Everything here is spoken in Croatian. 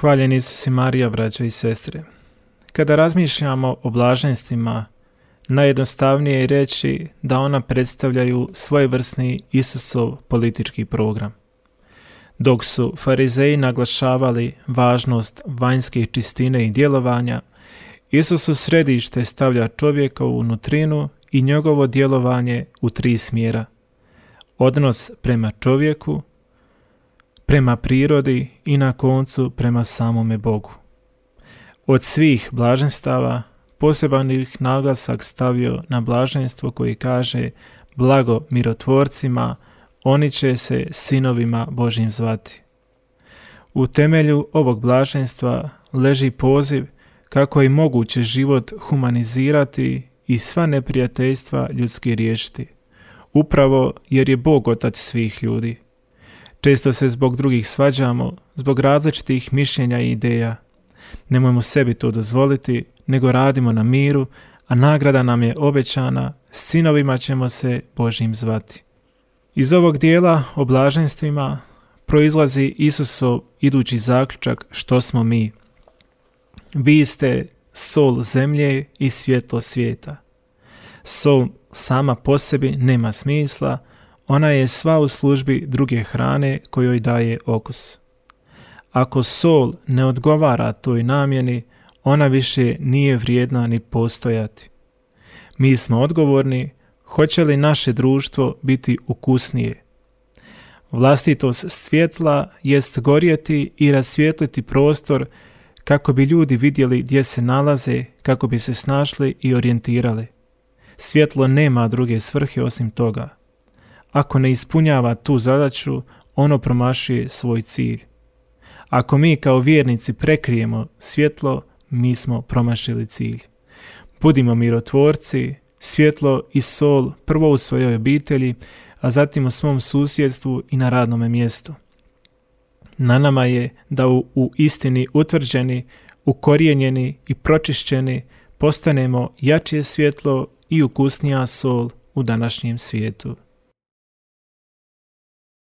Hvaljen Isus i Marija, braćo i sestre. Kada razmišljamo o blaženstvima, najjednostavnije je reći da ona predstavljaju svojevrsni Isusov politički program. Dok su farizeji naglašavali važnost vanjske čistine i djelovanja, Isus u središte stavlja čovjekovu nutrinu i njegovo djelovanje u 3 smjera. Odnos prema čovjeku, prema prirodi i na koncu prema samome Bogu. Od svih blaženstava poseban ih naglasak stavio na blaženstvo koji kaže: blago mirotvorcima, oni će se sinovima Božjim zvati. U temelju ovog blaženstva leži poziv kako je moguće život humanizirati i sva neprijateljstva ljudski riješiti, upravo jer je Bog otac svih ljudi. Često se zbog drugih svađamo, zbog različitih mišljenja i ideja. Nemojmo sebi to dozvoliti, nego radimo na miru, a nagrada nam je obećana, sinovima ćemo se Božjim zvati. Iz ovog dijela o blaženstvima proizlazi Isusov idući zaključak što smo mi. Vi ste sol zemlje i svjetlo svijeta. Sol sama po sebi nema smisla, ona je sva u službi druge hrane kojoj daje okus. Ako sol ne odgovara toj namjeni, ona više nije vrijedna ni postojati. Mi smo odgovorni, hoće li naše društvo biti ukusnije. Vlastitost svjetla jest gorjeti i rasvijetliti prostor kako bi ljudi vidjeli gdje se nalaze, kako bi se snašli i orijentirali. Svjetlo nema druge svrhe osim toga. Ako ne ispunjava tu zadaću, ono promašuje svoj cilj. Ako mi kao vjernici prekrijemo svjetlo, mi smo promašili cilj. Budimo mirotvorci, svjetlo i sol prvo u svojoj obitelji, a zatim u svom susjedstvu i na radnome mjestu. Na nama je da u istini utvrđeni, ukorijenjeni i pročišćeni postanemo jače svjetlo i ukusnija sol u današnjem svijetu.